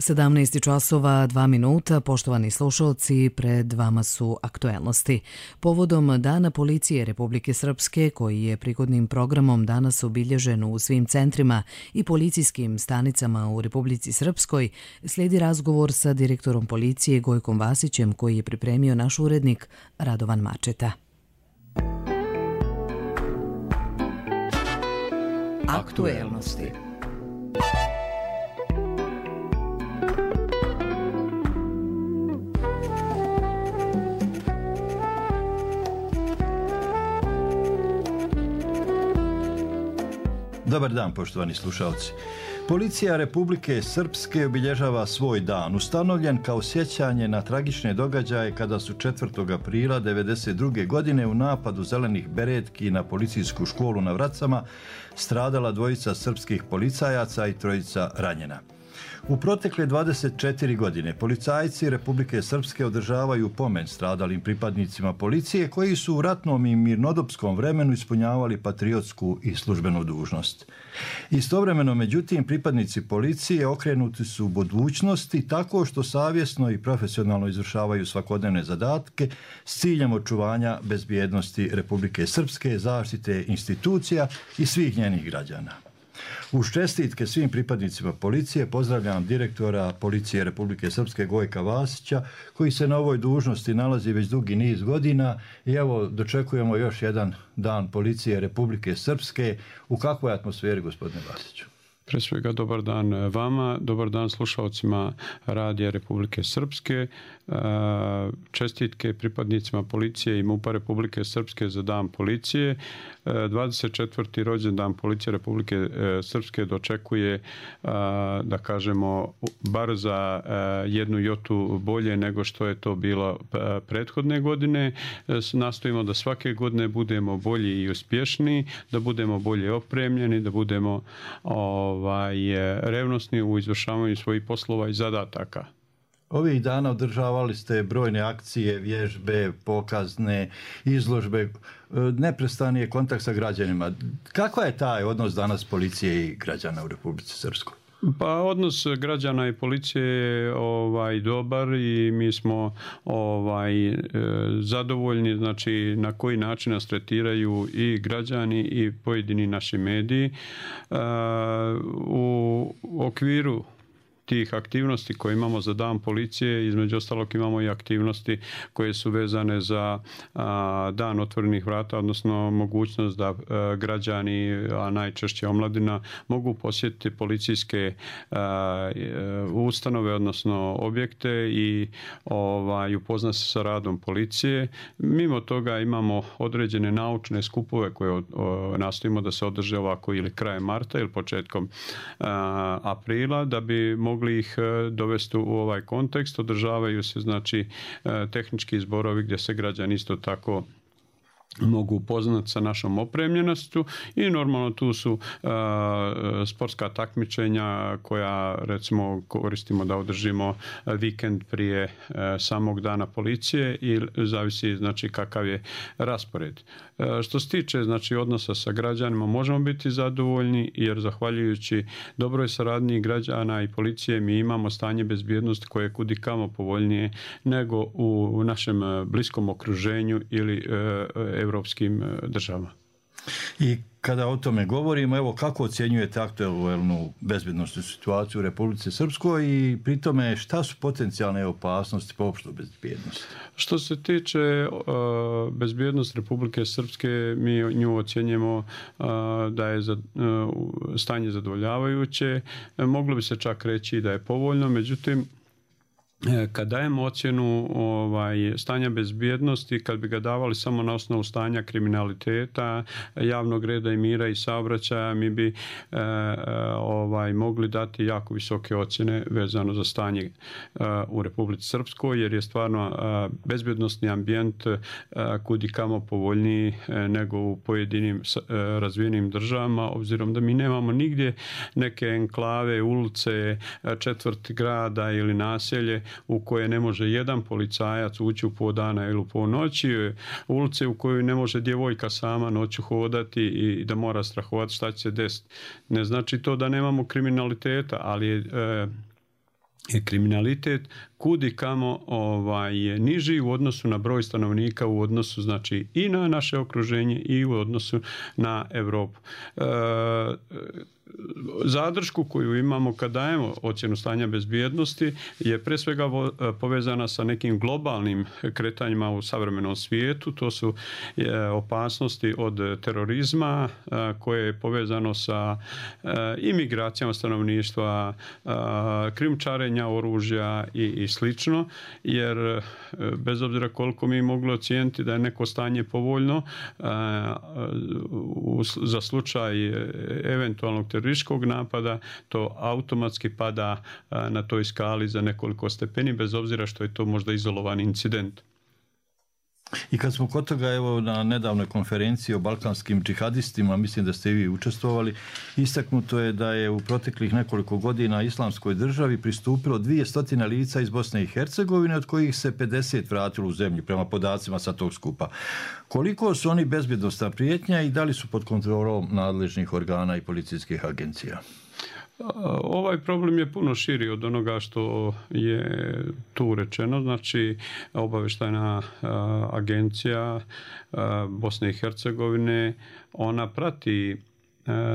17 časova 2 minuta, poštovani slušalci, pred vama su aktuelnosti. Povodom Dana policije Republike Srpske, koji je prigodnim programom danas obilježen u svim centrima i policijskim stanicama u Republici Srpskoj, slijedi razgovor sa direktorom policije Gojkom Vasićem, koji je pripremio naš urednik Radovan Mačeta. Aktuelnosti. Dobar dan, poštovani slušalci. Policija Republike Srpske obilježava svoj dan, ustanovljen kao sjećanje na tragične događaje kada su 4. aprila 1992. godine u napadu zelenih beretki na policijsku školu na Vracama stradala 2 srpskih policajaca i 3 ranjena. U protekle 24 godine policajci Republike Srpske održavaju pomen stradalim pripadnicima policije koji su u ratnom i mirnodopskom vremenu ispunjavali patriotsku i službenu dužnost. Istovremeno, međutim, pripadnici policije okrenuti su budućnosti tako što savjesno i profesionalno izvršavaju svakodnevne zadatke s ciljem očuvanja bezbjednosti Republike Srpske, zaštite institucija i svih njenih građana. Uz čestitke svim pripadnicima policije pozdravljam direktora Policije Republike Srpske Gojka Vasića, koji se na ovoj dužnosti nalazi već dugi niz godina i evo dočekujemo još jedan dan Policije Republike Srpske. U kakvoj atmosferi, gospodine Vasiću? Pre svega dobar dan vama, dobar dan slušalcima Radija Republike Srpske, čestitke pripadnicima policije i MUP-a Republike Srpske za dan policije. 24. rođendan Policije Republike Srpske dočekuje, da kažemo, bar za 1 jotu bolje nego što je to bilo prethodne godine. Nastojimo da svake godine budemo bolji i uspješniji, da budemo bolje opremljeni, da budemo revnosni u izvršavanju svojih poslova i zadataka. Ovih dana održavali ste brojne akcije, vježbe, pokazne, izložbe, neprestani je kontakt sa građanima. Kakva je taj odnos danas policije i građana u Republici Srpskoj? Pa odnos građana i policije je dobar i mi smo zadovoljni, znači na koji način nas tretiraju i građani i pojedini naši mediji. U okviru tih aktivnosti koje imamo za dan policije, između ostalog imamo i aktivnosti koje su vezane za dan otvorenih vrata, odnosno mogućnost da građani, a najčešće omladina, mogu posjetiti policijske ustanove, odnosno objekte i upoznati se sa radom policije. Mimo toga imamo određene naučne skupove koje nastojimo da se održe ovako ili krajem marta ili početkom aprila, da bi mogli ih dovesti u ovaj kontekst. Održavaju se znači tehnički zborovi gdje se građani isto tako mogu upoznati sa našom opremljenosti i normalno tu su sportska takmičenja koja recimo koristimo da održimo vikend prije samog dana policije i zavisi znači kakav je raspored. Što se tiče znači odnosa sa građanima možemo biti zadovoljni jer zahvaljujući dobroj saradnji građana i policije mi imamo stanje bezbjednosti koje je kudikamo povoljnije nego u našem bliskom okruženju ili evropskim državama. I kada o tome govorimo, evo kako ocjenjujete aktuelnu bezbjednosnu situaciju u Republici Srpskoj i pri tome šta su potencijalne opasnosti po opštu bezbjednosti? Što se tiče bezbjednosti Republike Srpske, mi nju ocjenjujemo da je stanje zadovoljavajuće. Moglo bi se čak reći da je povoljno, međutim kad dajemo ocjenu stanja bezbjednosti, kad bi ga davali samo na osnovu stanja kriminaliteta, javnog reda i mira i saobraćaja, mi bi mogli dati jako visoke ocjene vezano za stanje u Republici Srpskoj, jer je stvarno bezbjednosni ambijent kudikamo povoljniji nego u pojedinim razvijenim državama, obzirom da mi nemamo nigdje neke enklave, ulice, četvrti grada ili naselje u koje ne može jedan policajac ući u po dana ili u po noći, ulice u kojoj ne može djevojka sama noću hodati i da mora strahovati šta će se desiti. Ne znači to da nemamo kriminaliteta, ali je kriminalitet kudi kamo je niži u odnosu na broj stanovnika, u odnosu znači i na naše okruženje i u odnosu na Europu. Zadršku koju imamo kad dajemo ocjenu stanja bezbjednosti je pre svega povezana sa nekim globalnim kretanjima u savremenom svijetu. To su opasnosti od terorizma koje je povezano sa imigracijama stanovništva, krijumčarenja oružja i slično, jer bez obzira koliko mi mogli ocijeniti da je neko stanje povoljno za slučaj eventualnog terorističkog napada, to automatski pada na toj skali za nekoliko stepeni, bez obzira što je to možda izolovan incident. I kad smo kod toga, evo, na nedavnoj konferenciji o balkanskim džihadistima, mislim da ste i vi učestvovali, istaknuto je da je u proteklih nekoliko godina Islamskoj državi pristupilo 200 lica iz Bosne i Hercegovine, od kojih se 50 vratilo u zemlju, prema podacima sa tog skupa. Koliko su oni bezbjednosna prijetnja i da li su pod kontrolom nadležnih organa i policijskih agencija? Ovaj problem je puno širi od onoga što je tu rečeno. Znači, obavještajna agencija Bosne i Hercegovine, ona prati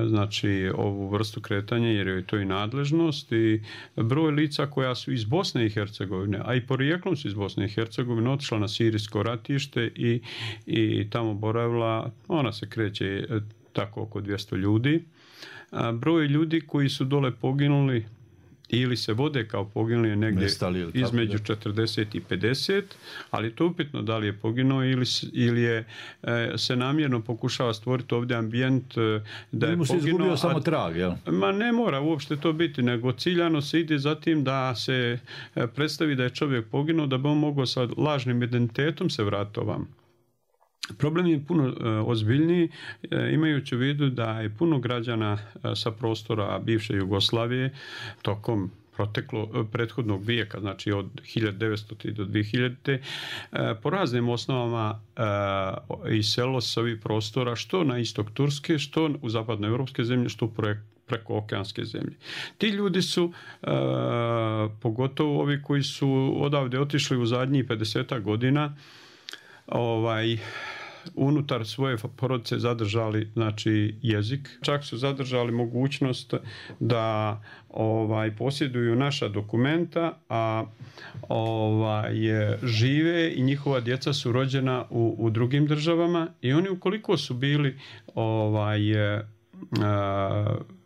znači ovu vrstu kretanja jer je to i nadležnost i broj lica koja su iz Bosne i Hercegovine, a i porijeklom su iz Bosne i Hercegovine, otišla na sirijsko ratište i tamo boravila, ona se kreće tako oko 200 ljudi. Broj ljudi koji su dole poginuli ili se vode kao poginuli je negdje između 40 i 50, ali to upitno da li je poginuo ili je se namjerno pokušava stvoriti ovdje ambijent da je poginuo. Izgubio samo trag, jel? Ma ne mora uopšte to biti, nego ciljano se ide za tim da se predstavi da je čovjek poginuo, da bi on mogao sa lažnim identitetom se vratiti ovam. Problem je puno ozbiljniji, imajući u vidu da je puno građana sa prostora bivše Jugoslavije tokom prethodnog vijeka, znači od 1900. do 2000. Po raznim osnovama iselilo se ovih prostora, što na istok Turske, što u zapadnoevropske zemlje, što preko okeanske zemlje. Ti ljudi su, pogotovo ovi koji su odavde otišli u zadnjih 50 godina, unutar svoje porodice zadržali znači jezik, čak su zadržali mogućnost da posjeduju naša dokumenta, a žive i njihova djeca su rođena u drugim državama i oni ukoliko su bili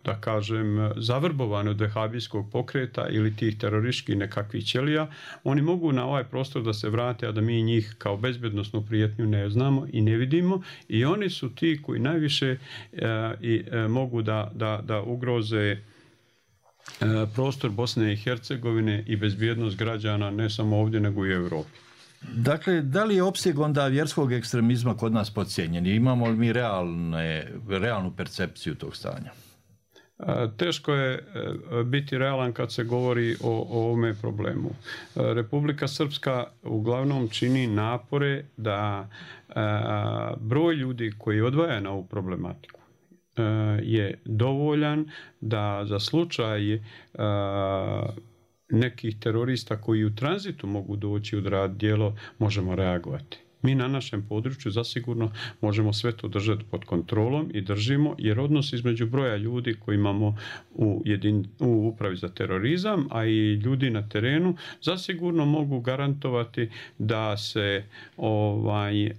da kažem, zavrbovani od vehabijskog pokreta ili tih terorističkih nekakvih ćelija, oni mogu na ovaj prostor da se vrate, a da mi njih kao bezbjednosnu prijetnju ne znamo i ne vidimo i oni su ti koji najviše mogu da ugroze prostor Bosne i Hercegovine i bezbjednost građana ne samo ovdje nego i u Europi. Dakle, da li je opseg onda vjerskog ekstremizma kod nas podcijenjen? Imamo li mi realnu percepciju tog stanja? Teško je biti realan kad se govori o ovome problemu. Republika Srpska uglavnom čini napore da broj ljudi koji odvaja na ovu problematiku je dovoljan da za slučaj nekih terorista koji u tranzitu mogu doći odraditi djelo možemo reagovati. Mi na našem području zasigurno možemo sve to držati pod kontrolom i držimo, jer odnos između broja ljudi koji imamo u upravi za terorizam, a i ljudi na terenu, zasigurno mogu garantovati da se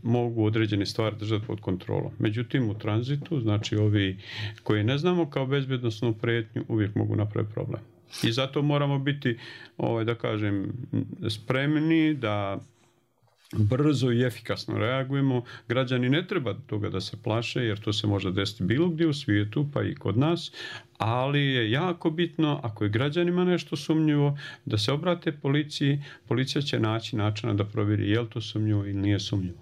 mogu određene stvari držati pod kontrolom. Međutim, u tranzitu, znači ovi koji ne znamo kao bezbjednosnu prijetnju, uvijek mogu napraviti problem. I zato moramo biti, da kažem, spremni da brzo i efikasno reagujemo. Građani ne treba toga da se plaše, jer to se može desiti bilo gdje u svijetu, pa i kod nas, ali je jako bitno, ako je građanima nešto sumnjivo, da se obrate policiji. Policija će naći načina da provjeri je li to sumnjivo ili nije sumnjivo.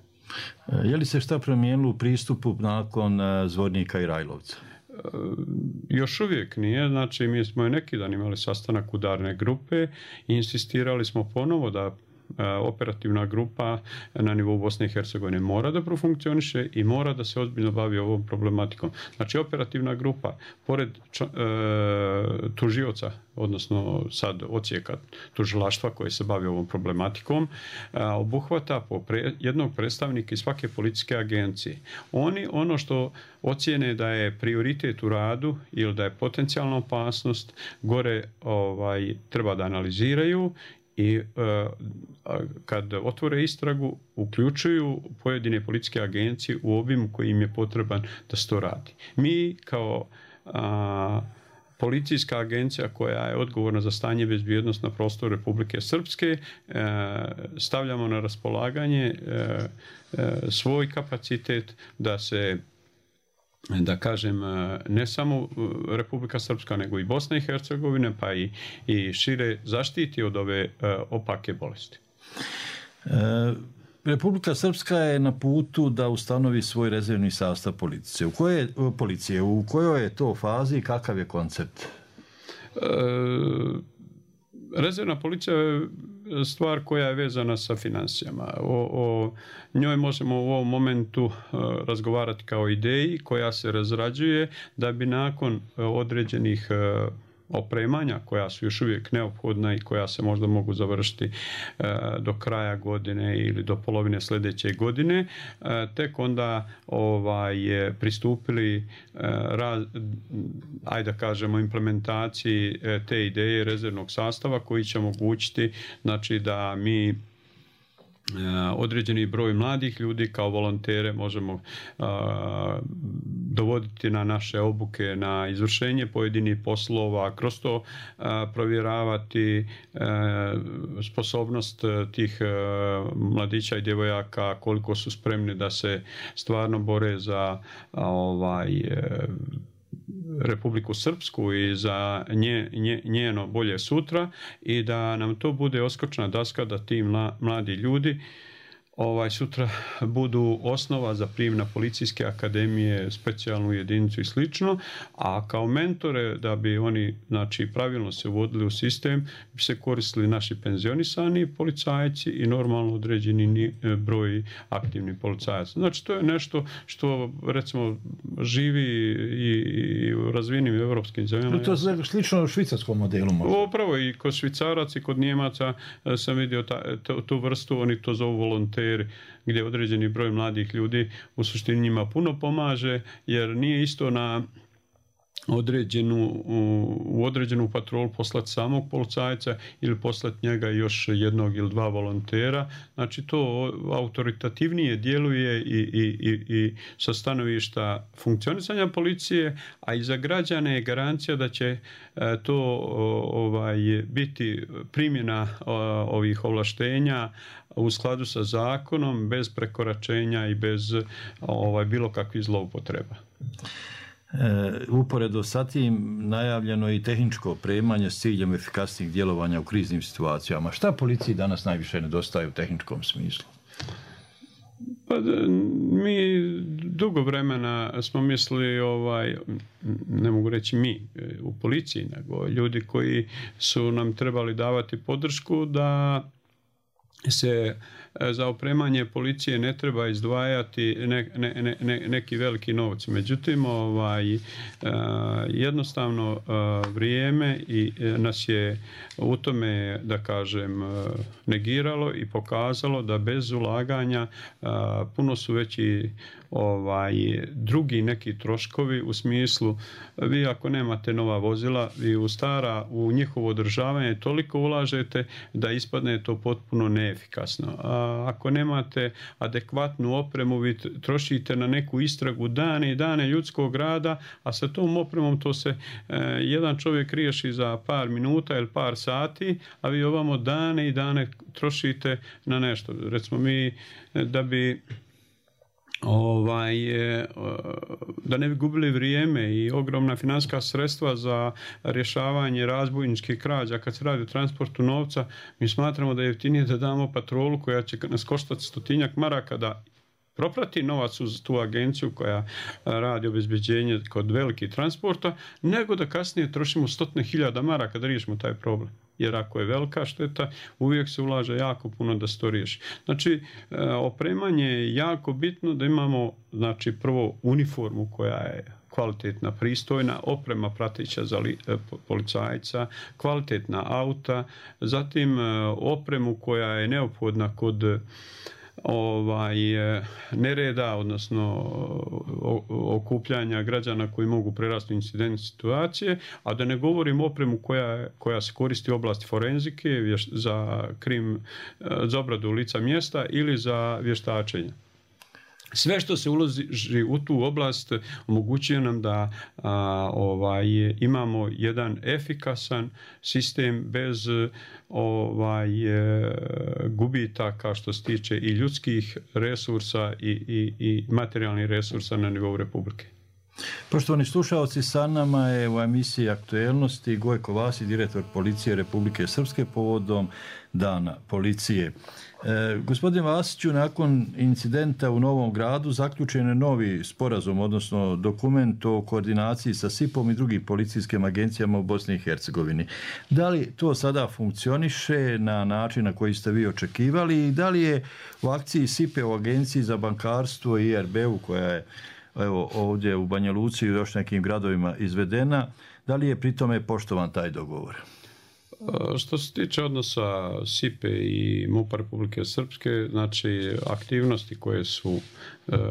Je li se šta promijenilo u pristupu nakon Zvornika i Rajlovca? Još uvijek nije, znači mi smo i neki dan imali sastanak udarne grupe i insistirali smo ponovo da operativna grupa na nivou Bosne i Hercegovine mora da profunkcioniše i mora da se ozbiljno bavi ovom problematikom. Znači, operativna grupa, pored tužioca, odnosno sad odsjeka tužilaštva koje se bavi ovom problematikom, obuhvata jednog predstavnika iz svake policijske agencije. Oni ono što ocijene da je prioritet u radu ili da je potencijalna opasnost, gore treba da analiziraju i kad otvore istragu uključuju pojedine policijske agencije u obimu koji im je potreban da se to radi. Mi kao policijska agencija koja je odgovorna za stanje bezbjednosti na prostoru Republike Srpske stavljamo na raspolaganje svoj kapacitet da se, da kažem, ne samo Republika Srpska nego i Bosna i Hercegovina pa i šire zaštiti od ove opake bolesti. Republika Srpska je na putu da ustanovi svoj rezervni sastav policije. U kojoj je to fazi i kakav je koncept? Rezervna policija je stvar koja je vezana sa financijama. O njoj možemo u ovom momentu razgovarati kao ideji koja se razrađuje da bi nakon određenih opremanja koja su još uvijek neophodna i koja se možda mogu završiti do kraja godine ili do polovine sljedeće godine, tek onda pristupili ajde da kažemo implementaciji te ideje rezervnog sastava koji će omogućiti, znači, da mi određeni broj mladih ljudi kao volontere možemo dovoditi na naše obuke, na izvršenje pojedinih poslova, kroz to provjeravati sposobnost tih mladića i djevojaka, koliko su spremni da se stvarno bore za Republiku Srpsku i za njeno bolje sutra i da nam to bude oskočna daska da ti mladi ljudi sutra budu osnova za prijem na policijske akademije, specijalnu jedinicu i slično, a kao mentore da bi oni, znači, pravilno se uvodili u sistem, bi se koristili naši penzionisani policajci i normalno određeni broj aktivnih policajaca. Znači, to je nešto što, recimo, živi i u razvijenim evropskim zemljama. To je slično švicarskom modelu. Upravo i kod Švicaraca i kod Njemaca sam vidio tu vrstu, oni to zovu volonteri, gdje određeni broj mladih ljudi u suštini njima puno pomaže, jer nije isto na u određenu patrolu poslati samog policajca ili poslati njega još jednog ili dva volontera. Znači, to autoritativnije djeluje i sa stanovišta funkcionisanja policije, a i za građane je garancija da će to biti primjena ovih ovlaštenja u skladu sa zakonom, bez prekoračenja i bez bilo kakvih zloupotreba. Uporedo sa tim najavljeno je i tehničko opremanje s ciljem efikasnijeg djelovanja u kriznim situacijama. Šta policiji danas najviše nedostaje u tehničkom smislu? Pa, mi dugo vremena smo mislili, ne mogu reći mi u policiji, nego ljudi koji su nam trebali davati podršku da se za opremanje policije ne treba izdvajati neki veliki novci. Međutim, jednostavno vrijeme i nas je u tome, da kažem, negiralo i pokazalo da bez ulaganja puno su veći drugi neki troškovi, u smislu, vi ako nemate nova vozila, vi u njihovo održavanje toliko ulažete da ispadne to potpuno neefikasno. Ako nemate adekvatnu opremu, vi trošite na neku istragu dane i dane ljudskog rada, a sa tom opremom to se jedan čovjek riješi za par minuta ili par sati, a vi ovamo dane i dane trošite na nešto. Recimo, mi da bi da ne bi gubili vrijeme i ogromna financijska sredstva za rješavanje razbojničkih krađa kad se radi o transportu novca, mi smatramo da je jeftinije da damo patrolu koja će nas koštati 100-tinjak maraka da proprati novac uz tu agenciju koja radi obezbeđenje kod velikih transporta, nego da kasnije trošimo 100.000 maraka da riješimo taj problem. Jer ako je velika šteta, uvijek se ulaže jako puno da se to riješi. Znači, opremanje je jako bitno da imamo, znači, prvo uniformu koja je kvalitetna, pristojna, oprema prateća za policajca, kvalitetna auta, zatim opremu koja je neophodna kod nereda, odnosno okupljanja građana koji mogu prerasti u incidentne situacije, a da ne govorim opremu koja se koristi u oblasti forenzike za obradu lica mjesta ili za vještačenje. Sve što se uloži u tu oblast omogućuje nam da imamo jedan efikasan sistem bez gubitaka što se tiče i ljudskih resursa i materijalnih resursa na nivou Republike. Poštovani slušalci, sa nama je u emisiji Aktuelnosti Gojko Vasić, direktor Policije Republike Srpske povodom Dana policije. Gospodin Vasiću, nakon incidenta u Novom Gradu zaključen je novi sporazum, odnosno dokument o koordinaciji sa SIP-om i drugim policijskim agencijama u Bosni i Hercegovini. Da li to sada funkcioniše na način na koji ste vi očekivali i da li je u akciji SIP-e u Agenciji za bankarstvo i IRB-u koja je ovdje u Banja Luci i još nekim gradovima izvedena, da li je pri tome poštovan taj dogovor? Što se tiče odnosa SIP-e i MUP-a Republike Srpske, znači aktivnosti koje su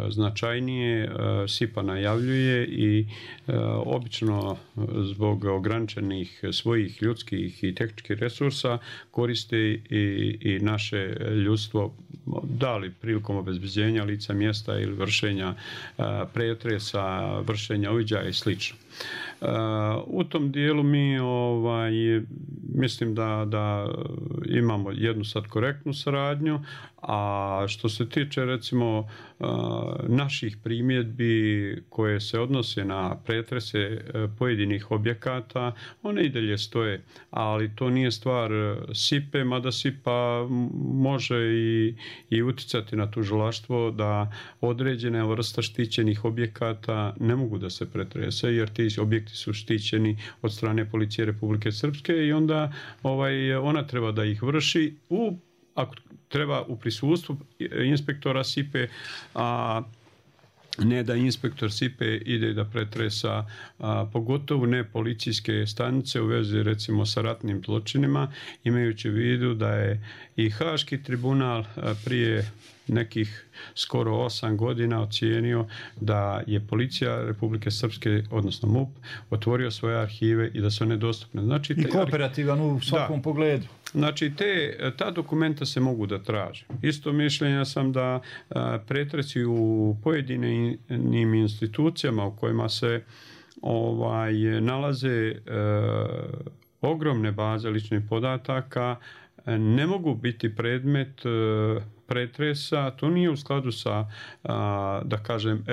značajnije SIP-a najavljuje i obično zbog ograničenih svojih ljudskih i tehničkih resursa koriste i naše ljudstvo, da li prilikom obezbeđenja lica mjesta ili vršenja pretresa, vršenja uviđaja i slično. U tom dijelu mi mislim da imamo jednu sad korektnu saradnju, a što se tiče recimo naših primjedbi koje se odnose na pretrese pojedinih objekata, one i dalje stoje, ali to nije stvar SIP-e, mada SIP-a može i uticati na tužilaštvo da određene vrsta štićenih objekata ne mogu da se pretrese, jer ti objekti su štićeni od strane Policije Republike Srpske i onda ona treba da ih vrši ako treba u prisustvu inspektora SIP-e, a ne da inspektor SIP-e ide da pretresa, pogotovo ne policijske stanice u vezi recimo sa ratnim zločinima, imajući u vidu da je i Haški tribunal prije nekih skoro 8 godina ocijenio da je Policija Republike Srpske, odnosno MUP, otvorio svoje arhive i da su one dostupne. Znači, i kooperativan u svakom pogledu. Znači, ta dokumenta se mogu da traže. Isto mišljenja sam da pretresi u pojedinim institucijama u kojima se nalaze ogromne baze ličnih podataka ne mogu biti predmet pretresa. To nije u skladu sa, da kažem,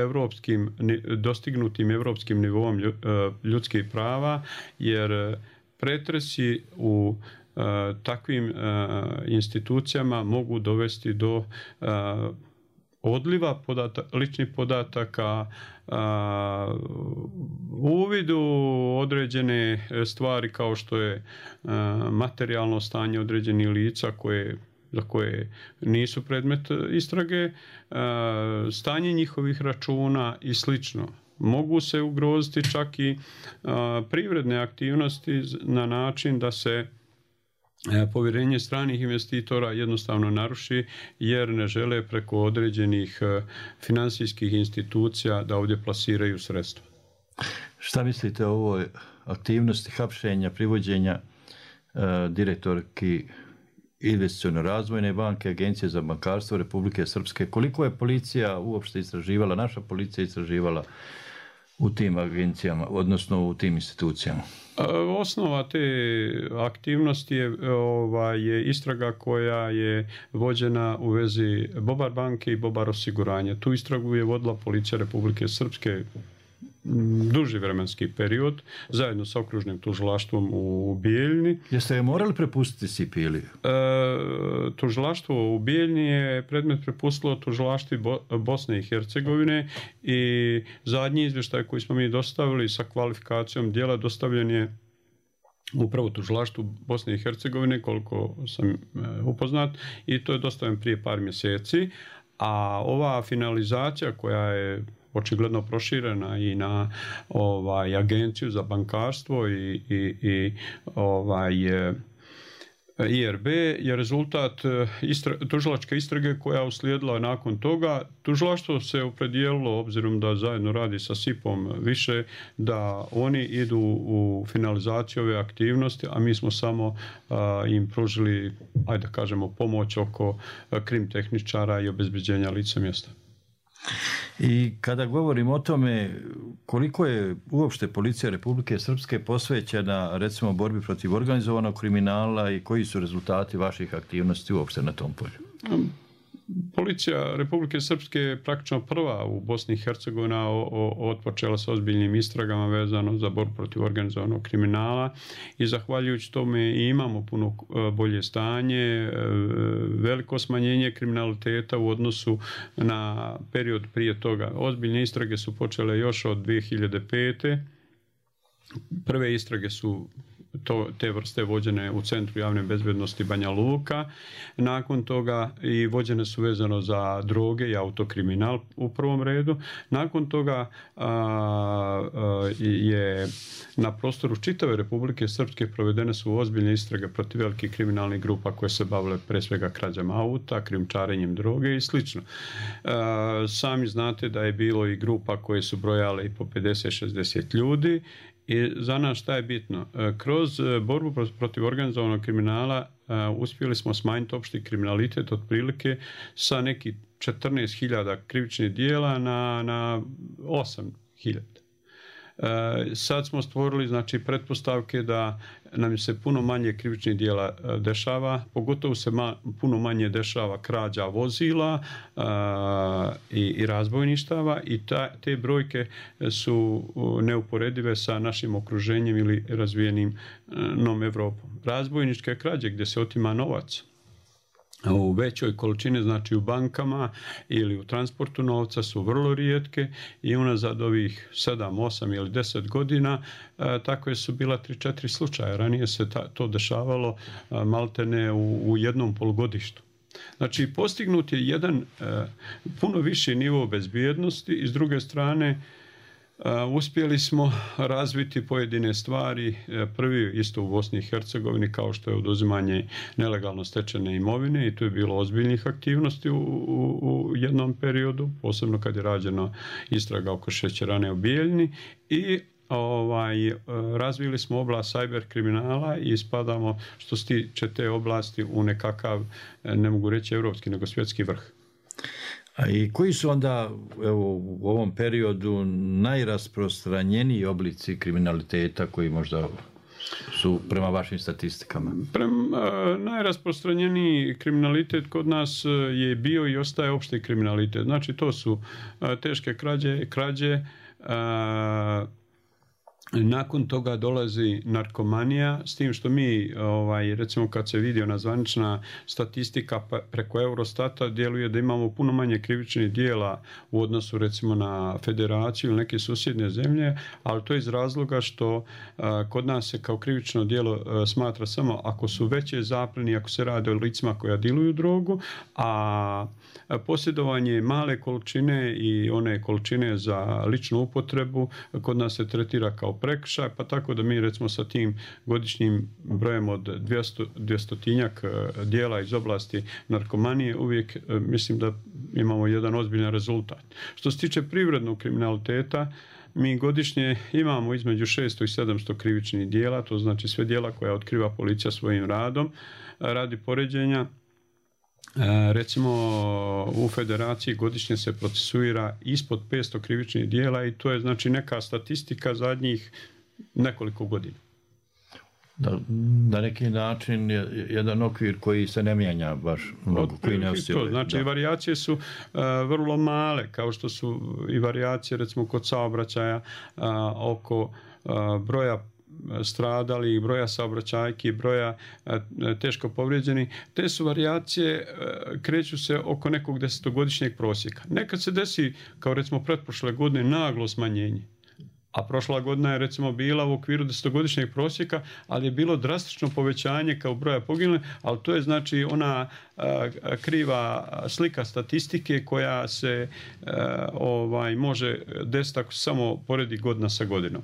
dostignutim evropskim nivom ljudskih prava, jer pretresi u takvim institucijama mogu dovesti do odliva ličnih podataka, uvidu određene stvari kao što je materijalno stanje određenih lica za koje nisu predmet istrage, stanje njihovih računa i slično. Mogu se ugroziti čak i privredne aktivnosti na način da se povjerenje stranih investitora jednostavno naruši, jer ne žele preko određenih finansijskih institucija da ovdje plasiraju sredstva. Šta mislite o ovoj aktivnosti hapšenja, privođenja direktorki Investiciono-razvojne banke, Agencije za bankarstvo Republike Srpske? Koliko je policija uopšte istraživala, naša policija istraživala u tim agencijama, odnosno u tim institucijama? Osnova te aktivnosti je istraga koja je vođena u vezi Bobar banke i Bobar osiguranja. Tu istragu je vodila Policija Republike Srpske duži vremenski period, zajedno sa okružnim tužilaštvom u Bijeljni. Jeste je morali prepustiti Sipiliju? Tužilaštvo u Bijeljni je predmet prepustilo tužilaštvu Bosne i Hercegovine i zadnji izvještaj koji smo mi dostavili sa kvalifikacijom djela dostavljen je upravo tužilaštvu Bosne i Hercegovine, koliko sam upoznat, i to je dostavljen prije par mjeseci. A ova finalizacija koja je očigledno proširena i na agenciju za bankarstvo i IRB je rezultat tužilačke istrage koja je uslijedila nakon toga. Tužilaštvo se opredijelilo, obzirom da zajedno radi sa SIP-om više, da oni idu u finalizaciju ove aktivnosti, a mi smo samo im pružili, ajde da kažemo, pomoć oko krim tehničara i obezbeđenja lica mjesta. I kada govorimo o tome koliko je uopšte policija Republike Srpske posvećena recimo borbi protiv organizovanog kriminala i koji su rezultati vaših aktivnosti uopšte na tom polju? Policija Republike Srpske je praktično prva u Bosni i Hercegovini otpočela sa ozbiljnim istragama vezano za borbu protiv organizovanog kriminala i zahvaljujući tome i imamo puno bolje stanje, veliko smanjenje kriminaliteta u odnosu na period prije toga. Ozbiljne istrage su počele još od 2005. Prve istrage su te vrste vođene u Centru javne bezbednosti Banja Luka. Nakon toga i vođene su vezano za droge i autokriminal u prvom redu. Nakon toga je na prostoru čitave Republike Srpske provedene su ozbiljne istrage protiv velikih kriminalnih grupa koje se bavile pre svega krađama auta, krijumčarenjem droge i sl. Sami znate da je bilo i grupa koje su brojale i po 50-60 ljudi. I za nas šta je bitno? Kroz borbu protiv organizovanog kriminala uspjeli smo smanjiti opšti kriminalitet otprilike sa nekih 14.000 krivičnih dijela na 8.000. Sad smo stvorili pretpostavke da nam se puno manje krivičnih dijela dešava, pogotovo se puno manje dešava krađa vozila i razbojništava i te brojke su neuporedive sa našim okruženjem ili razvijenim Evropom. Razbojničke krađe gdje se otima novac u većoj količini, znači u bankama ili u transportu novca, su vrlo rijetke i unazad ovih 7, 8 ili 10 godina takve su bila 3-4 slučaja. Ranije se to dešavalo maltene u jednom polugodištu. Znači, postignut je jedan puno viši nivo bezbjednosti i s druge strane uspjeli smo razviti pojedine stvari, prvi isto u Bosni i Hercegovini, kao što je oduzimanje nelegalno stečene imovine i tu je bilo ozbiljnih aktivnosti u jednom periodu, posebno kad je rađena istraga oko šećerane u Bijeljni i razvili smo oblast cyber kriminala i spadamo što se tiče te oblasti u nekakav, ne mogu reći evropski, nego svjetski vrh. A i koji su onda u ovom periodu najrasprostranjeniji oblici kriminaliteta koji možda su prema vašim statistikama? Najrasprostranjeniji kriminalitet kod nas je bio i ostaje opšti kriminalitet. Znači to su teške krađe, nakon toga dolazi narkomanija, s tim što mi, recimo kad se vidi ona zvanična statistika preko Eurostata, djeluje da imamo puno manje krivičnih dijela u odnosu recimo na Federaciju ili neke susjedne zemlje, ali to je iz razloga što kod nas se kao krivično djelo smatra samo ako su veće zapljene, ako se radi o licima koja diluju drogu, a posjedovanje male količine i one količine za ličnu upotrebu kod nas se tretira kao prekršaj, pa tako da mi recimo sa tim godišnjim brojem od 200-tinjak dijela iz oblasti narkomanije uvijek mislim da imamo jedan ozbiljan rezultat. Što se tiče privrednog kriminaliteta, mi godišnje imamo između 600 i 700 krivičnih dijela, to znači sve dijela koja otkriva policija svojim radom. Radi poređenja, recimo u Federaciji godišnje se procesuira ispod 500 krivičnih dijela i to je znači neka statistika zadnjih nekoliko godina. Na neki način jedan okvir koji se ne mijenja baš mnogo, koji ne osjeća. Znači, varijacije su vrlo male, kao što su i varijacije, recimo, kod saobraćaja oko broja stradali, broja saobraćajki, broja teško povrijeđenih. Te su varijacije, kreću se oko nekog 10-godišnjeg prosjeka. Nekad se desi, kao recimo pretprošle godine, naglo smanjenje. A prošla godina je recimo bila u okviru 10-godišnjeg prosjeka, ali je bilo drastično povećanje kao broja poginulih, ali to je znači ona kriva slika statistike koja se može desiti ako se samo poredi godina sa godinom.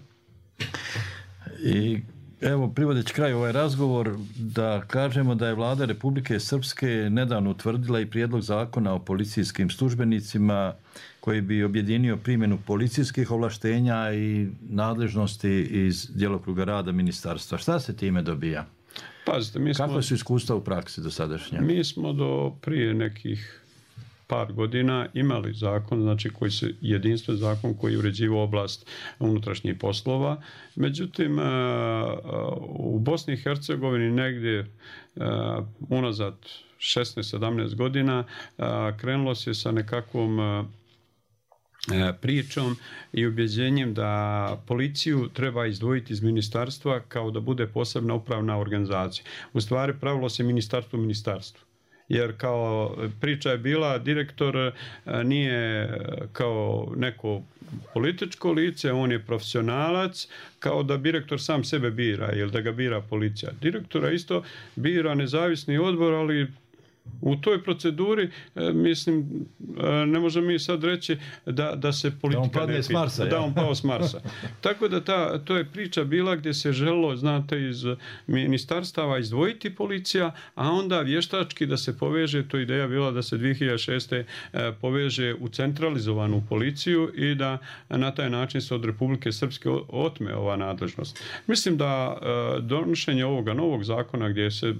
I evo, privodeći kraj ovaj razgovor, da kažemo da je Vlada Republike Srpske nedavno utvrdila i prijedlog zakona o policijskim službenicima koji bi objedinio primjenu policijskih ovlaštenja i nadležnosti iz djelokruga rada ministarstva. Šta se time dobija? Pazite, kako su iskustva u praksi do sadašnja? Mi smo do prije nekih par godina imali zakon, znači koji se jedinstven zakon koji uređivao oblast unutrašnjih poslova. Međutim, u Bosni i Hercegovini negdje unazad 16-17 godina krenulo se sa nekakvom pričom i ubjeđenjem da policiju treba izdvojiti iz ministarstva kao da bude posebna upravna organizacija. U stvari pravilo se ministarstvo. Jer kao priča je bila, direktor nije kao neko političko lice, on je profesionalac, kao da direktor sam sebe bira ili da ga bira policija. Direktora isto bira nezavisni odbor, ali u toj proceduri, mislim, ne možemo mi sad reći da se politika ne pita. Da on pao s Marsa. Tako da to je priča bila gdje se želilo, znate, iz ministarstava izdvojiti policija, a onda vještački da se poveže, to ideja bila da se 2006. poveže u centralizovanu policiju i da na taj način se od Republike Srpske otme ova nadležnost. Mislim da donošenje ovoga novog zakona gdje se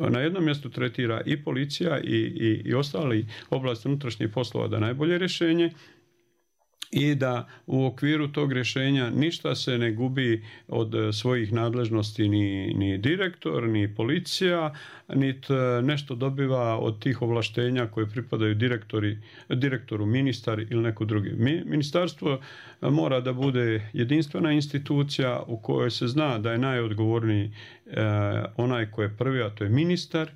na jednom mjestu tretira i policija i ostali oblasti unutrašnjih poslova da najbolje rješenje i da u okviru tog rješenja ništa se ne gubi od svojih nadležnosti ni direktor, ni policija, niti nešto dobiva od tih ovlaštenja koje pripadaju direktoru, ministar ili neko drugi. Ministarstvo mora da bude jedinstvena institucija u kojoj se zna da je najodgovorniji onaj koji je prvi, a to je ministar.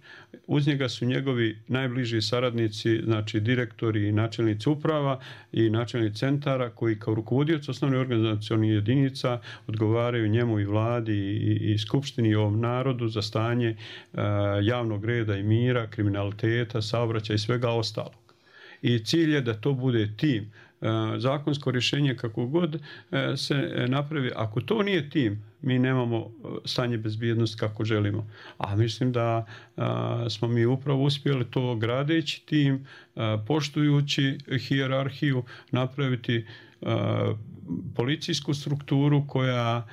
Uz njega su njegovi najbliži saradnici, znači direktori i načelnici uprava i načelnici centara koji kao rukovodioci osnovnih organizacionih jedinica odgovaraju njemu i vladi i skupštini i ovom narodu za stanje javnog reda i mira, kriminaliteta, saobraćaja i svega ostalog. I cilj je da to bude tim. Zakonsko rješenje kako god se napravi, ako to nije tim, mi nemamo stanje bezbjednosti kako želimo. A mislim da smo mi upravo uspjeli to gradeći tim, poštujući hijerarhiju, napraviti policijsku strukturu koja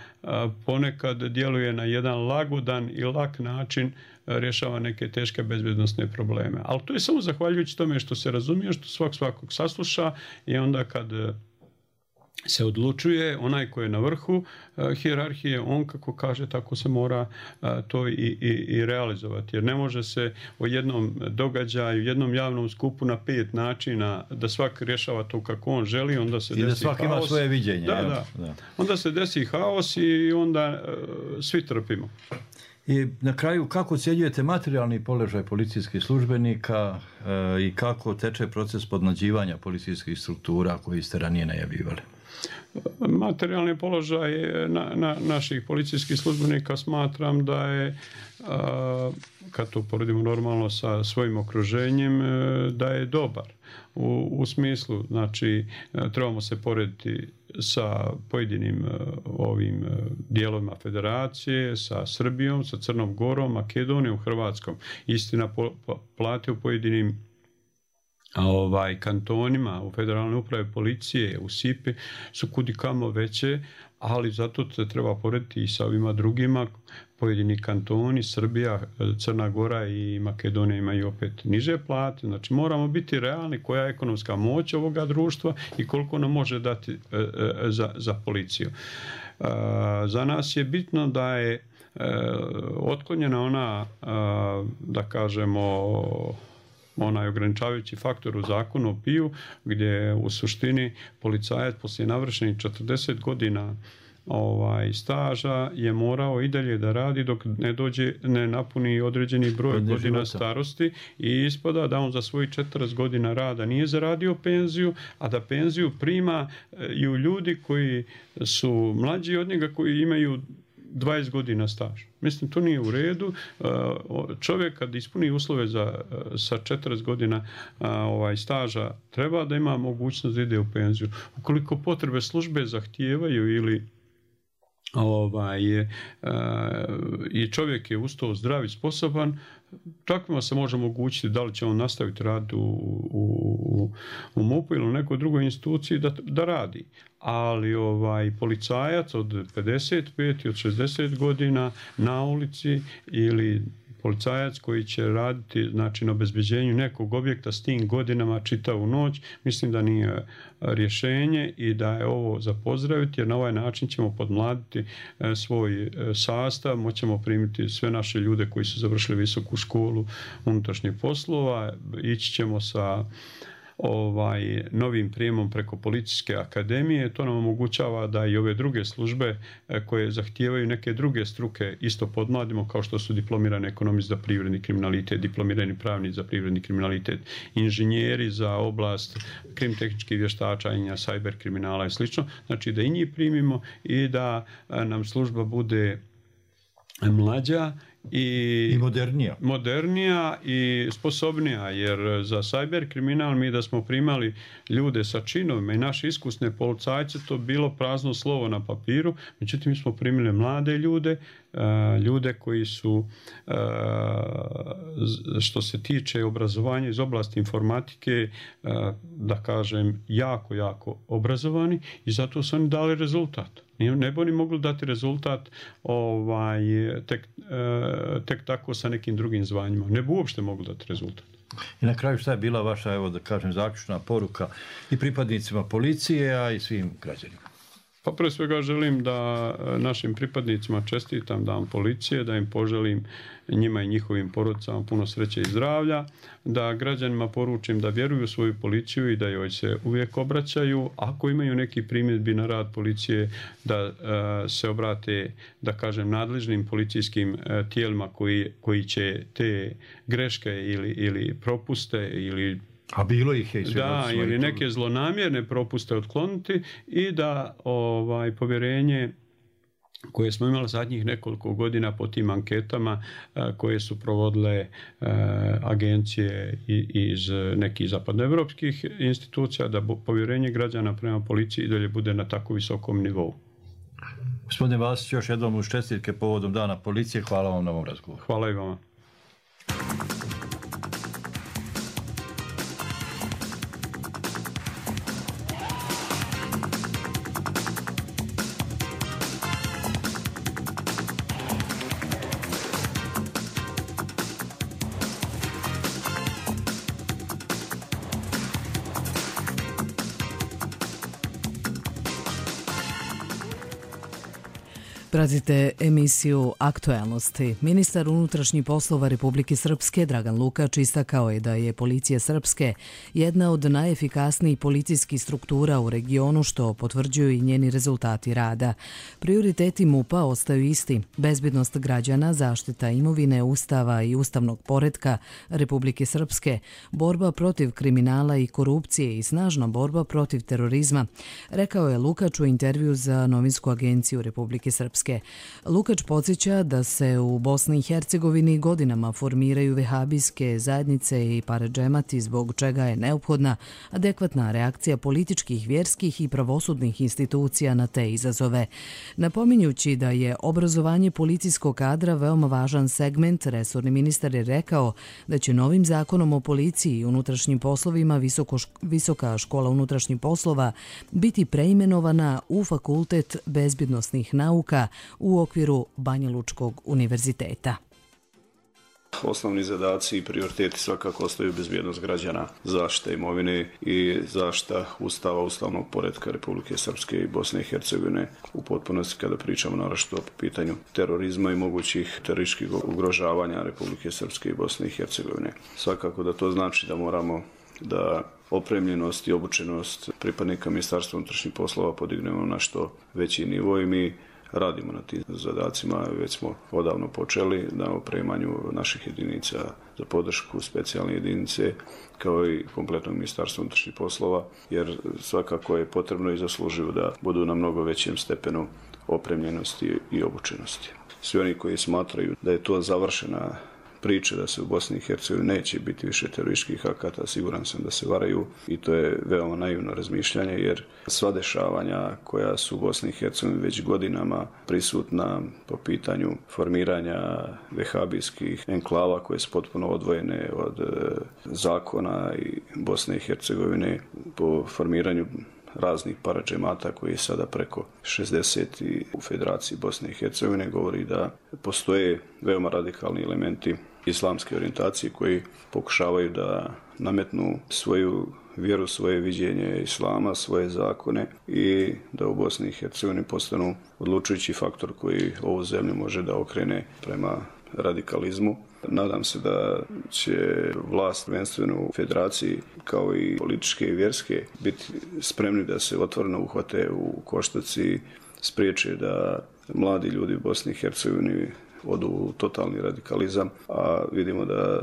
ponekad djeluje na jedan lagodan i lak način, rješava neke teške bezbjednosne probleme. Ali to je samo zahvaljujući tome što se razumije, što svakog sasluša i onda kad se odlučuje, onaj koji je na vrhu hijerarhije, on kako kaže, tako se mora to i realizovati. Jer ne može se o jednom događaju, jednom javnom skupu na 5 načina da svak rješava to kako on želi, onda se desi haos. I da svak ima svoje viđenje. Da. Onda se desi haos i onda svi trpimo. I na kraju, kako ocjenjujete materijalni položaj policijskih službenika i kako teče proces podmlađivanja policijskih struktura koji ste ranije najavljivali? Materijalni položaj naših policijskih službenika smatram da je, kad to poredimo normalno sa svojim okruženjem, da je dobar. U smislu, znači, trebamo se porediti sa pojedinim ovim dijelovima federacije, sa Srbijom, sa Crnom Gorom, Makedonijom, Hrvatskom. Istina, plate u pojedinim kantonima, u federalnoj upravi policije, u SIPI su kudikamo veće, ali zato se treba porediti i sa ovima drugima. Pojedini kantoni, Srbija, Crna Gora i Makedonija imaju opet niže plate. Znači moramo biti realni koja je ekonomska moć ovoga društva i koliko nam može dati za policiju. Za nas je bitno da je otklonjena ona, da kažemo, onaj ograničavajući faktor u zakonu o PIU, gdje u suštini policajac poslije navršenih 40 godina staža je morao i dalje da radi dok ne napuni određeni broj godina starosti i ispada da on za svojih 40 godina rada nije zaradio penziju, a da penziju prima i u ljudi koji su mlađi od njega, koji imaju 20 godina staža. Mislim, to nije u redu. Čovjek kad ispuni uslove sa 40 godina staža, treba da ima mogućnost da ide u penziju. Ukoliko potrebe službe zahtijevaju ili i čovjek je uz to zdrav i sposoban, takvima se može omogućiti da li će on nastaviti raditi u MUP-u ili u nekoj drugoj instituciji da radi. Ali policajac od 55 i od 60 godina na ulici ili policajac koji će raditi na obezbeđenju nekog objekta s tim godinama čitavu noć, mislim da nije rješenje i da je ovo za pozdraviti, jer na ovaj način ćemo podmladiti svoj sastav, moćemo primiti sve naše ljude koji su završili visoku školu unutrašnjih poslova, ići ćemo sa novim prijemom preko policijske akademije. To nam omogućava da i ove druge službe koje zahtijevaju neke druge struke isto podmladimo, kao što su diplomirani ekonomist za privredni kriminalitet, diplomirani pravnici za privredni kriminalitet, inženjeri za oblast krimtehničkih vještačenja, cyber kriminala i sl. Znači da i njih primimo i da nam služba bude mlađa i modernija i sposobnija, jer za cyber kriminal mi da smo primali ljude sa činovima i naše iskusne policajce, to bilo prazno slovo na papiru, međutim mi smo primili mlade ljude koji su, što se tiče obrazovanja iz oblasti informatike, da kažem, jako obrazovani i zato su oni dali rezultat. Ne bi oni mogli dati rezultat tek tako sa nekim drugim zvanjima. Ne bi uopšte mogli dati rezultat. I na kraju šta je bila vaša, evo da kažem, zaključna poruka i pripadnicima policije, a i svim građanima? Pa pre svega želim da našim pripadnicima čestitam Dan policije, da im poželim njima i njihovim porodicama puno sreće i zdravlja, da građanima poručim da vjeruju u svoju policiju i da joj se uvijek obraćaju. Ako imaju neki primjedbi na rad policije, da se obrate, da kažem, nadležnim policijskim tijelima koji će te greške ili propuste ili bilo ih je ili neke zlonamjerne propuste otkloniti i da povjerenje koje smo imali zadnjih nekoliko godina po tim anketama koje su provodile agencije iz nekih zapadnoevropskih institucija, da povjerenje građana prema policiji i dalje bude na tako visokom nivou. Gospodine Vasić, još jednom uz čestitke povodom Dana policije. Hvala vam na ovom razgovoru. Hvala i vama. Pratite emisiju Aktuelnosti. Ministar unutrašnjih poslova Republike Srpske Dragan Lukač istakao je da je policija Srpske jedna od najefikasnijih policijskih struktura u regionu, što potvrđuju i njeni rezultati rada. Prioriteti MUP-a ostaju isti: bezbednost građana, zaštita imovine, ustava i ustavnog poretka Republike Srpske, borba protiv kriminala i korupcije i snažna borba protiv terorizma, rekao je Lukač u intervju za novinsku agenciju Republike Srpske. Lukač podsjeća da se u Bosni i Hercegovini godinama formiraju vehabijske zajednice i paradžemati, zbog čega je neophodna adekvatna reakcija političkih, vjerskih i pravosudnih institucija na te izazove. Napominjući da je obrazovanje policijskog kadra veoma važan segment, resorni ministar je rekao da će novim zakonom o policiji i unutrašnjim poslovima Visoka škola unutrašnjih poslova biti preimenovana u Fakultet bezbjednosnih nauka u okviru Banjalučkog univerziteta. Osnovni zadaci i prioriteti svakako ostaju bezbjednost građana, zaštita imovine i zaštita Ustava, ustavnog poretka Republike Srpske i Bosne i Hercegovine u potpunosti kada pričamo naročito po pitanju terorizma i mogućih terorističkih ugrožavanja Republike Srpske i Bosne i Hercegovine. Svakako da to znači da moramo da opremljenost i obučenost pripadnika Ministarstva unutrašnjih poslova podignemo na što veći nivo i mi radimo na tim zadacima, već smo odavno počeli na opremanju naših jedinica za podršku, specijalne jedinice, kao i kompletnog Ministarstva unutrašnjih poslova, jer svakako je potrebno i zasluživo da budu na mnogo većem stepenu opremljenosti i obučenosti. Svi oni koji smatraju da je to završena priče da se u Bosni i Hercegovini neće biti više terorističkih akata, siguran sam da se varaju i to je veoma naivno razmišljanje jer sva dešavanja koja su u Bosni i Hercegovini već godinama prisutna po pitanju formiranja vehabijskih enklava koje su potpuno odvojene od zakona i Bosne i Hercegovine po formiranju raznih paradžemata koji je sada preko 60 u Federaciji Bosne i Hercegovine govori da postoje veoma radikalni elementi islamske orijentacije koji pokušavaju da nametnu svoju vjeru, svoje viđenje islama, svoje zakone i da u Bosni i Hercegovini postanu odlučujući faktor koji ovu zemlju može da okrene prema radikalizmu. Nadam se da će vlast prvenstveno u Federaciji kao i političke i vjerske biti spremni da se otvoreno uhvate u koštac i spriječe da mladi ljudi u Bosni i Hercegovini odu u totalni radikalizam, a vidimo da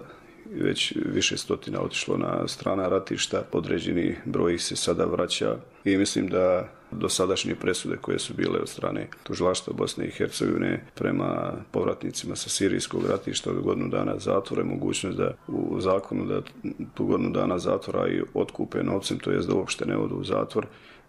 već više stotina otišlo na strana ratišta, određeni broj ih se sada vraća i mislim da dosadašnje presude koje su bile od strane tužilaštva Bosne i Hercegovine prema povratnicima sa sirijskog ratišta od godinu dana zatvora, mogućnost da u zakonu da tu godinu dana zatvora i otkupe novcem, to jest da uopšte ne odu u zatvor,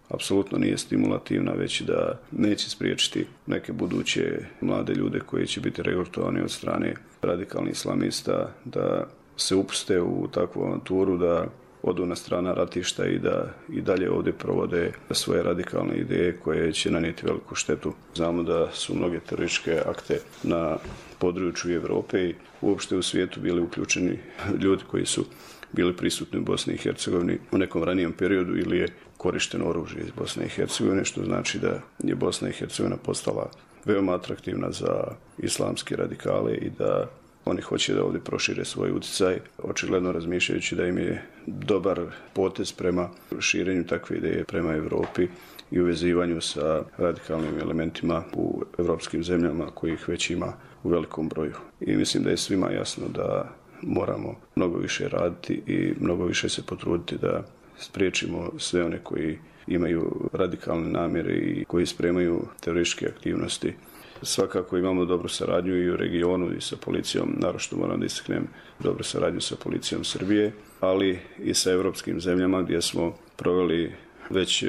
apsolutno nije stimulativna, već da neće spriječiti neke buduće mlade ljude koji će biti regrutovani od strane radikalnih islamista da se upuste u takvu avanturu, da odu na strana ratišta i da i dalje ovdje provode svoje radikalne ideje koje će nanijeti veliku štetu. Znamo da su mnoge terorističke akte na području Evrope i uopšte u svijetu bili uključeni ljudi koji su bili prisutni u Bosni i Hercegovini u nekom ranijem periodu ili je korišteno oružje iz Bosne i Hercegovine, što znači da je Bosna i Hercegovina postala veoma atraktivna za islamske radikale i da oni hoće da ovdje prošire svoj utjecaj, očigledno razmišljajući da im je dobar potez prema širenju takve ideje prema Evropi i uvezivanju sa radikalnim elementima u evropskim zemljama kojih već ima u velikom broju. I mislim da je svima jasno da moramo mnogo više raditi i mnogo više se potruditi da spriječimo sve one koji imaju radikalne namjere i koji spremaju terorističke aktivnosti. Svakako imamo dobru saradnju i u regionu i sa policijom, naročito moram da istaknem dobru saradnju sa policijom Srbije, ali i sa evropskim zemljama gdje smo proveli već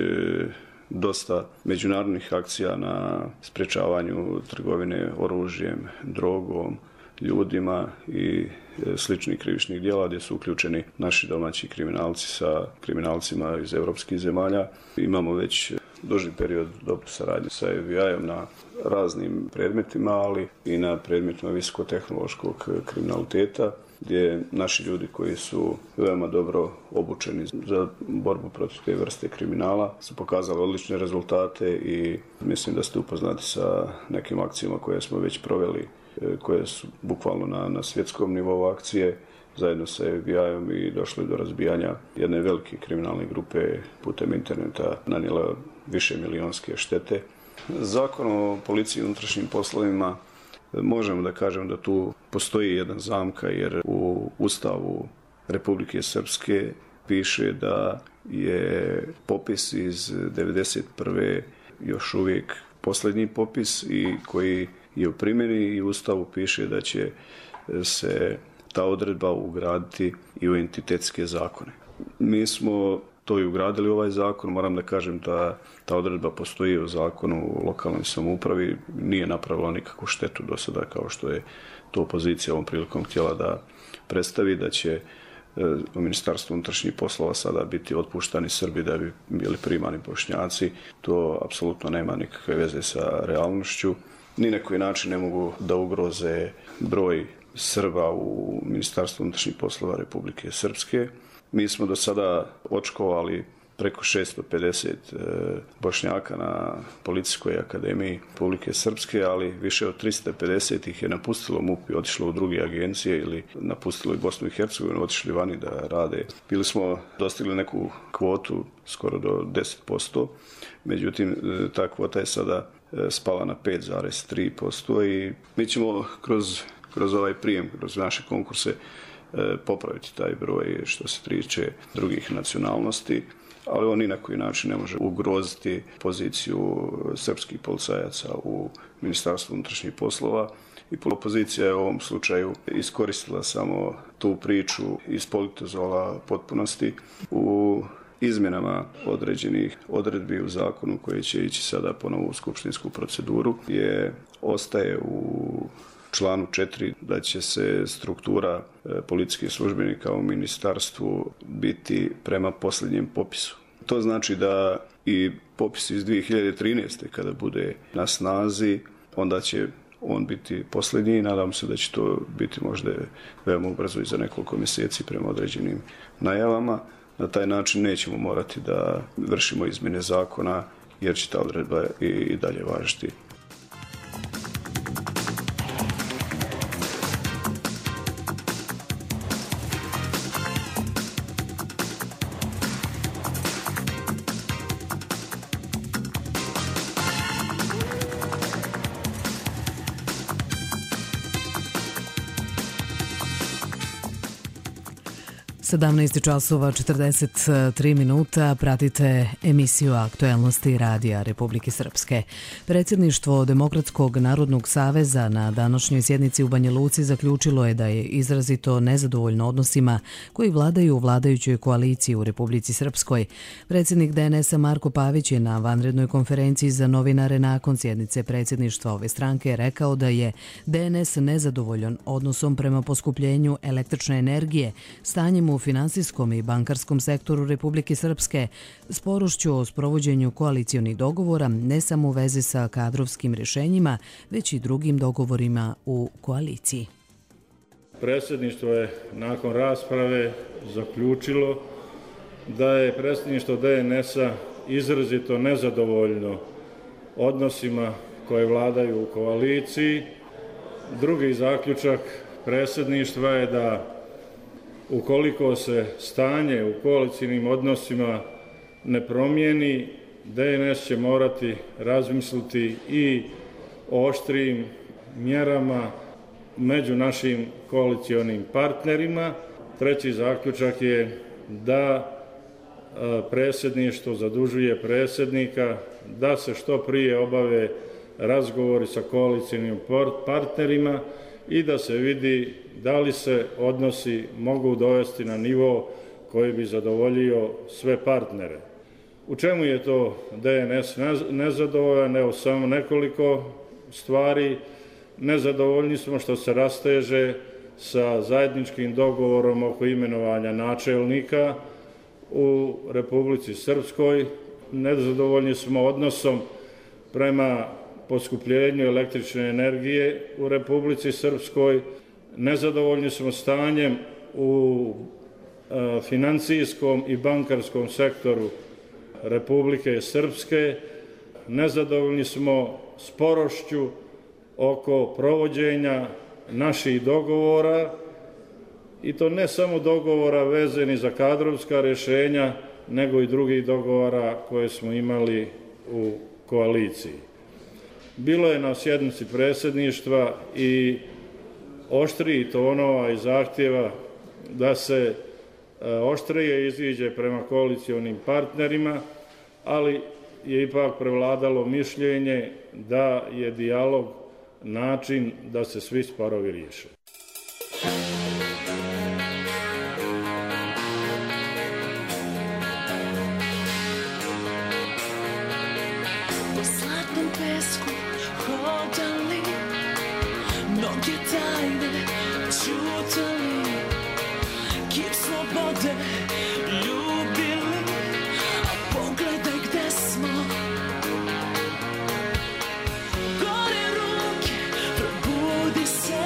dosta međunarodnih akcija na sprečavanju trgovine oružjem, drogom, ljudima i sličnih krivičnih djela gdje su uključeni naši domaći kriminalci sa kriminalcima iz evropskih zemalja. Imamo već duži period dobru saradnju sa FBI-om na raznim predmetima, ali i na predmetima visokotehnološkog kriminaliteta, gdje naši ljudi koji su veoma dobro obučeni za borbu protiv te vrste kriminala su pokazali odlične rezultate i mislim da ste upoznati sa nekim akcijama koje smo već proveli, koje su bukvalno na svjetskom nivou akcije zajedno sa FBI-om i došli do razbijanja jedne velike kriminalne grupe putem interneta, nanijela više milionske štete. Zakon o policiji i unutrašnjim poslovima možemo da kažemo da tu postoji jedna zamka jer u Ustavu Republike Srpske piše da je popis iz 1991. još uvijek posljednji popis i koji je u primjeni i u Ustavu piše da će se ta odredba ugraditi i u entitetske zakone. Mi smo to i ugradili u ovaj zakon, moram da kažem da ta odredba postoji u zakonu o lokalnoj samoupravi, nije napravila nikakvu štetu do sada kao što je to opozicija ovom prilikom htjela da predstavi, da će u Ministarstvu unutrašnjih poslova sada biti otpuštani Srbi da bi bili primani Bošnjaci. To apsolutno nema nikakve veze sa realnošću. Ni na koji način ne mogu da ugroze broj Srba u Ministarstvu unutrašnjih poslova Republike Srpske. Mi smo do sada očkovali preko 650 Bošnjaka na Policijskoj akademiji Republike Srpske, ali više od 350 ih je napustilo MUP i otišlo u druge agencije ili napustilo i Bosnu i Hercegovinu, otišli vani da rade. Bili smo dostigli neku kvotu skoro do 10%, međutim ta kvota je sada spala na 5,3% i mi ćemo kroz ovaj prijem, kroz naše konkurse popraviti taj broj što se tiče drugih nacionalnosti, ali on ni na koji način ne može ugroziti poziciju srpskih policajaca u Ministarstvu unutrašnjih poslova. I opozicija je u ovom slučaju iskoristila samo tu priču iz politozola potpunosti u izmjenama određenih odredbi u zakonu koji će ići sada ponovo u skupštinsku proceduru, ostaje u članu 4 da će se struktura policijskih službenika u ministarstvu biti prema posljednjem popisu. To znači da i popis iz 2013. kada bude na snazi, onda će on biti posljednji i nadam se da će to biti možda veoma ubrzo i za nekoliko mjeseci prema određenim najavama. Na taj način nećemo morati da vršimo izmjene zakona jer će ta odredba i dalje važiti. časova 43 minuta, pratite emisiju Aktuelnosti Radija Republike Srpske. Predsjedništvo Demokratskog narodnog saveza na današnjoj sjednici u Banja Luci zaključilo je da je izrazito nezadovoljno odnosima koji vladaju u vladajućoj koaliciji u Republici Srpskoj. Predsjednik DNS-a Marko Pavić je na vanrednoj konferenciji za novinare nakon sjednice predsjedništva ove stranke rekao da je DNS nezadovoljan odnosom prema poskupljenju električne energije, stanjem u finansijskom i bankarskom sektoru Republike Srpske, sporošću o sprovođenju koalicionih dogovora ne samo u vezi sa kadrovskim rješenjima, već i drugim dogovorima u koaliciji. Predsjedništvo je nakon rasprave zaključilo da je predsjedništvo DNS-a izrazito nezadovoljno odnosima koje vladaju u koaliciji. Drugi zaključak predsjedništva je da ukoliko se stanje u koalicijnim odnosima ne promijeni, DNS će morati razmisliti i o oštrijim mjerama među našim koalicionim partnerima. Treći zaključak je da predsjedništvo zadužuje predsjednika da se što prije obave razgovori sa koalicijnim partnerima i da se vidi da li se odnosi mogu dovesti na nivo koji bi zadovoljio sve partnere. U čemu je to DNS nezadovoljan? Evo samo nekoliko stvari. Nezadovoljni smo što se rasteže sa zajedničkim dogovorom oko imenovanja načelnika u Republici Srpskoj. Nezadovoljni smo odnosom prema poskupljenju električne energije u Republici Srpskoj. Nezadovoljni smo stanjem u financijskom i bankarskom sektoru Republike Srpske. Nezadovoljni smo sporošću oko provođenja naših dogovora i to ne samo dogovora vezani za kadrovska rješenja, nego i drugih dogovora koje smo imali u koaliciji. Bilo je na sjednici predsjedništva i oštriji tonova i zahtjeva da se oštrije iziđe prema koalicionim partnerima, ali je ipak prevladalo mišljenje da je dijalog način da se svi sporovi riješe. Po slatnom pesku hodali, mnoge tajne čutali, kip slobode ljubili, a pogledaj gde smo. Gore ruke, probudi se,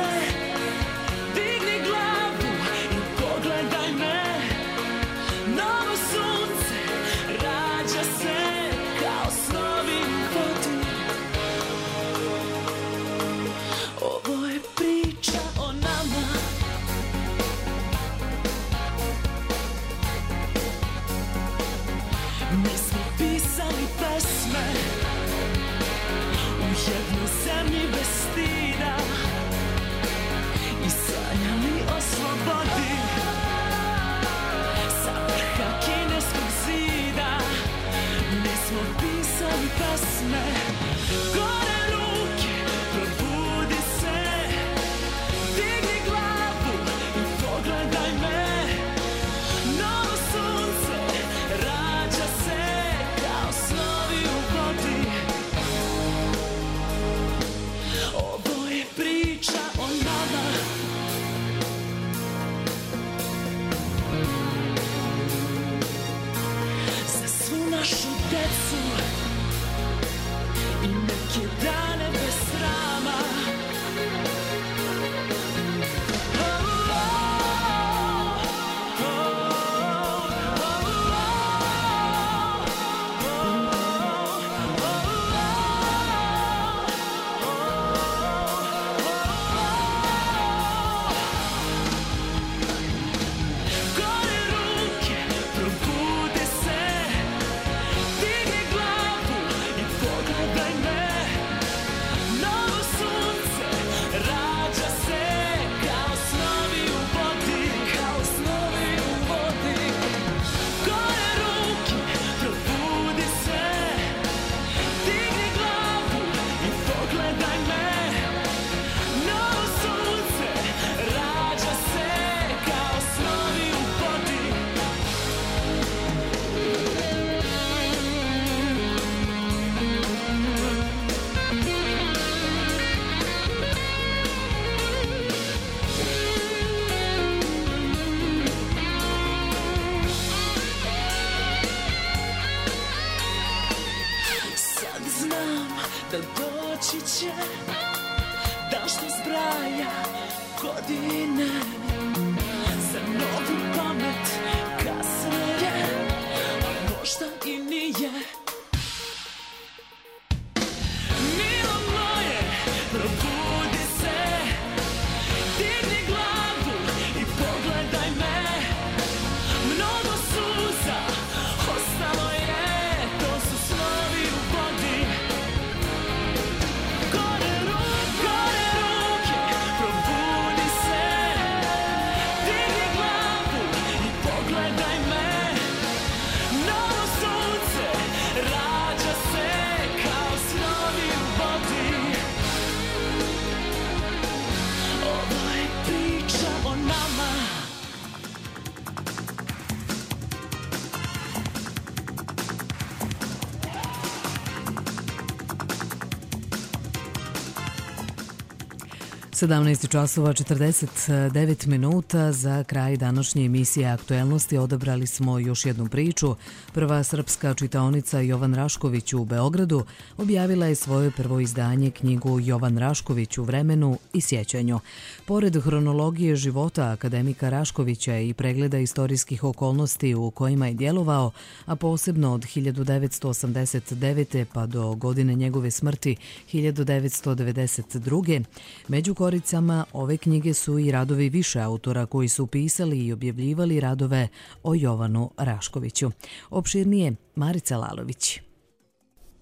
17 časova 49 minuta. Za kraj današnje emisije Aktuelnosti odabrali smo još jednu priču. Prva srpska čitaonica Jovan Rašković u Beogradu objavila je svoje prvo izdanje, knjigu Jovan Rašković u vremenu i sjećanju. Pored hronologije života akademika Raškovića i pregleda istorijskih okolnosti u kojima je djelovao, a posebno od 1989. pa do godine njegove smrti 1992. Među koricama ove knjige su i radovi više autora koji su pisali i objavljivali radove o Jovanu Raškoviću. Opširnije Marica Lalović.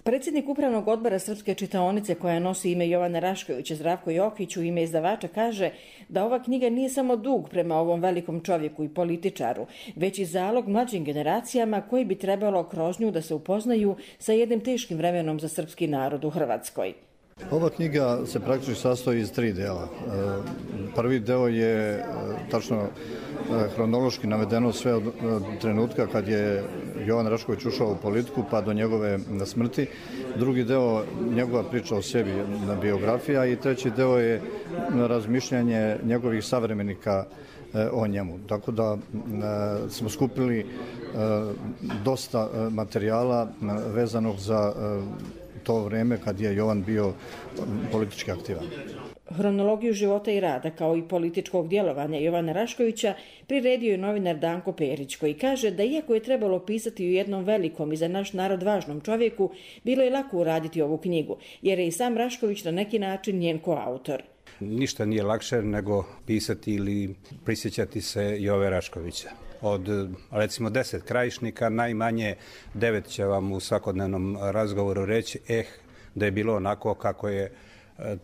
Predsjednik Upravnog odbora Srpske čitaonice, koja nosi ime Jovana Raškovića, Zdravko Jokić, u ime izdavača kaže da ova knjiga nije samo dug prema ovom velikom čovjeku i političaru, već i zalog mlađim generacijama koji bi trebalo kroz nju da se upoznaju sa jednim teškim vremenom za srpski narod u Hrvatskoj. Ova knjiga se praktično sastoji iz 3 dela. Prvi deo je tačno hronološki navedeno sve od trenutka kad je Jovan Rašković ušao u politiku pa do njegove smrti. Drugi deo njegova priča o sebi, biografija, i treći deo je razmišljanje njegovih savremenika o njemu. Tako da smo skupili dosta materijala vezanog za to vreme kad je Jovan bio politički aktivan. Hronologiju života i rada kao i političkog djelovanja Jovana Raškovića priredio je novinar Danko Perić, koji kaže da iako je trebalo pisati u jednom velikom i za naš narod važnom čovjeku, bilo je lako uraditi ovu knjigu, jer je i sam Rašković na neki način njen koautor. Ništa nije lakše nego pisati ili prisjećati se Jove Raškovića. Od, recimo, 10 krajišnika, najmanje 9 će vam u svakodnevnom razgovoru reći da je bilo onako kako je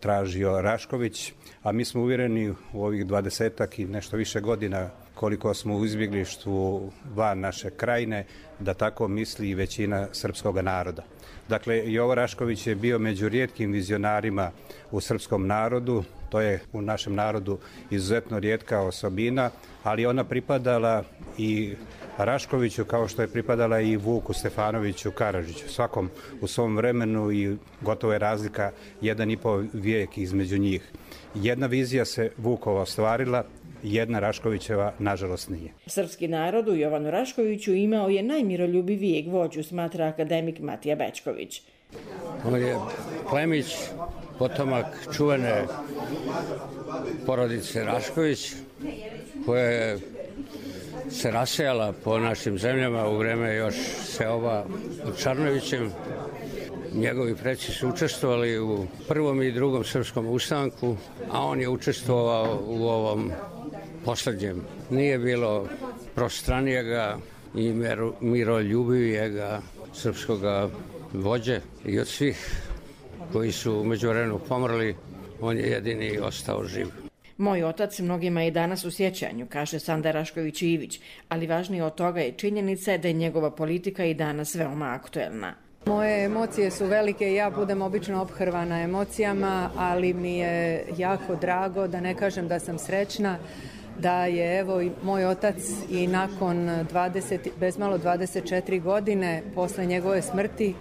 tražio Rašković, a mi smo uvjereni u ovih 20-ak i nešto više godina koliko smo u izbjeglištvu van naše krajine, da tako misli i većina srpskog naroda. Dakle, Jovo Rašković je bio među rijetkim vizionarima u srpskom narodu, to je u našem narodu izuzetno rijetka osobina, ali ona pripadala i Raškoviću kao što je pripadala i Vuku Stefanoviću Karadžiću. Svakom u svom vremenu i gotovo je razlika 1,5 vijek između njih. Jedna vizija se Vukova ostvarila, jedna Raškovićeva nažalost nije. Srpski narod u Jovanu Raškoviću imao je najmiroljubivijeg vođu, smatra akademik Matija Bečković. On je plemić, potomak čuvene porodice Rašković, koja je se rasejala po našim zemljama u vreme još seoba pod Čarnovićem. Njegovi preci su učestvovali u prvom i drugom srpskom ustanku, a on je učestvovao u ovom posljednjem. Nije bilo prostranijega i miroljubivijega srpskog vođe, i od svih koji su u međuvremenu pomrli, on je jedini ostao živ. Moj otac mnogima je danas u sjećanju, kaže Sanda Rašković-Ivić, ali važnije od toga je činjenica da je njegova politika i danas veoma aktuelna. Moje emocije su velike i ja budem obično ophrvana emocijama, ali mi je jako drago, da ne kažem da sam srećna, da je evo i moj otac i nakon bezmalo 24 godine posle njegove smrti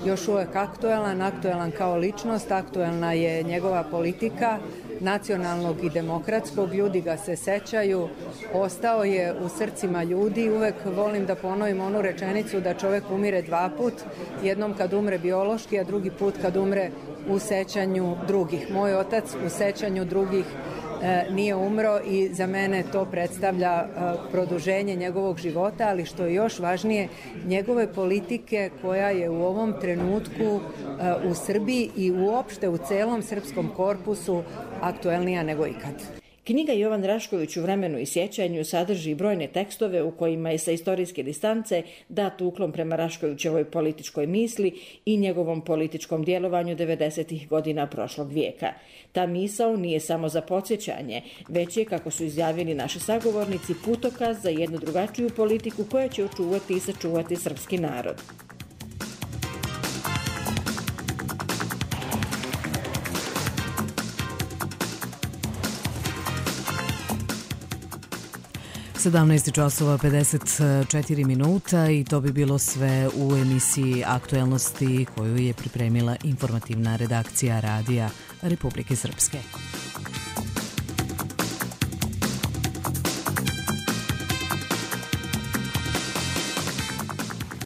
još uvek aktuelan kao ličnost, aktuelna je njegova politika nacionalnog i demokratskog, ljudi ga se sećaju, ostao je u srcima ljudi. Uvek volim da ponovim onu rečenicu da čovjek umire 2 put, jednom kad umre biološki, a drugi put kad umre u sećanju drugih. Moj otac u sećanju drugih nije umro i za mene to predstavlja produženje njegovog života, ali što je još važnije, njegove politike koja je u ovom trenutku u Srbiji i uopšte u celom srpskom korpusu aktuelnija nego ikad. Knjiga Jovan Rašković u vremenu i sjećanju sadrži brojne tekstove u kojima je sa istorijske distance dat uklon prema Raškovićevoj političkoj misli i njegovom političkom djelovanju 90. godina prošlog vijeka. Ta misao nije samo za podsjećanje, već je, kako su izjavili naši sagovornici, putokaz za jednu drugačiju politiku koja će očuvati i sačuvati srpski narod. časova 54 minuta i to bi bilo sve u emisiji Aktuelnosti koju je pripremila informativna redakcija Radija Republike Srpske.